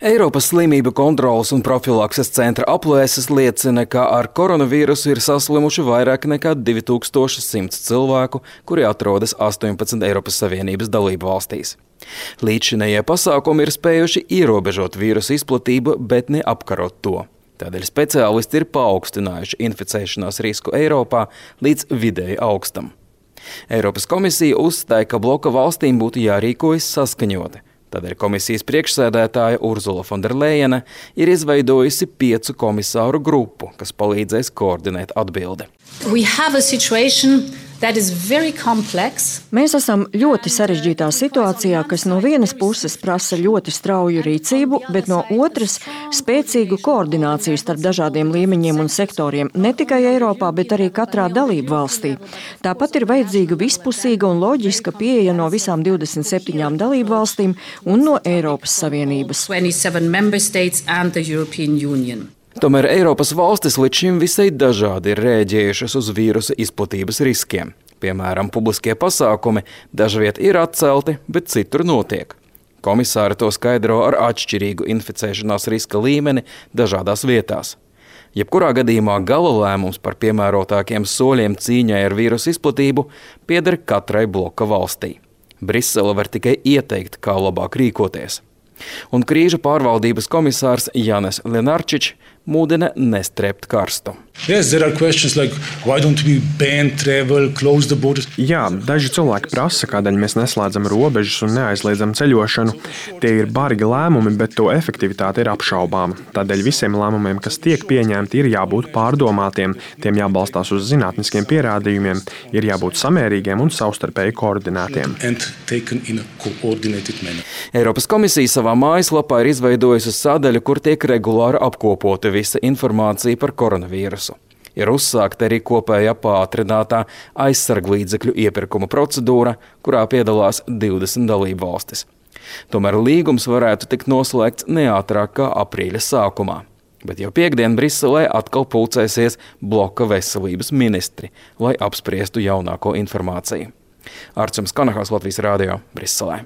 Eiropas slimību kontroles un profilakses centra aplēses liecina, ka ar koronavīrusu ir saslimuši vairāk nekā 2100 cilvēku, kuri atrodas 18 Eiropas Savienības dalību valstīs. Līdzšinējie pasākumi ir spējuši ierobežot vīrusu izplatību, bet ne apkarot to. Tādēļ speciālisti ir paaugstinājuši inficēšanās risku Eiropā līdz vidēji augstam. Eiropas komisija uzstāja, ka bloka valstīm būtu jārīkojas saskaņoti. Tādēļ komisijas priekšsēdētāja Urzula Fonderlejene ir izveidojusi 5 komisāru grupu, kas palīdzēs koordinēt atbildi. Mēs esam ļoti sarežģītā situācijā, kas no vienas puses prasa ļoti strauju rīcību, bet no otras spēcīgu koordināciju starp dažādiem līmeņiem un sektoriem, ne tikai Eiropā, bet arī katrā dalību valstī. Tāpat ir vajadzīga vispusīga un loģiska pieeja no visām 27 dalību valstīm un no Eiropas Savienības. Tomēr Eiropas valstis līdz šim visai dažādi ir rēģējušas uz vīrusa izplatības riskiem. Piemēram, publiskie pasākumi dažviet ir atcelti, bet citur notiek. Komisāri to skaidro ar atšķirīgu inficēšanās riska līmeni dažādās vietās. Jebkurā gadījumā gala lēmums par piemērotākiem soļiem cīņai ar vīrusu izplatību pieder katrai bloka valstī. Brisele var tikai ieteikt, kā labāk rīkoties. Un krīžu pārvaldības komisārs Jānis Lenarčičs mudina nestrept karstu. Jā, daži cilvēki prasa, kādēļ mēs neslēdzam robežas un neaizliedzam ceļošanu. Tie ir bargi lēmumi, bet to efektivitāte ir apšaubāma. Tādēļ visiem lēmumiem, kas tiek pieņemti, ir jābūt pārdomātiem, tiem jābalstās uz zinātniskiem pierādījumiem, ir jābūt samērīgiem un savstarpēji koordinētiem. Eiropas komisija savā mājaslapā ir izveidojusi sadaļu, kur tiek regulāri apkopota visa informācija par koronavīrusu. Ir uzsākta arī kopējā pātrinātā aizsarglīdzekļu iepirkuma procedūra, kurā piedalās 20 dalību valstis. Tomēr līgums varētu tikt noslēgts neātrāk kā aprīļa sākumā. Bet jau piektdien Briselē atkal pulcēsies bloka veselības ministri, lai apspriestu jaunāko informāciju. Arčuns Kanahals, Latvijas radio, Briselē.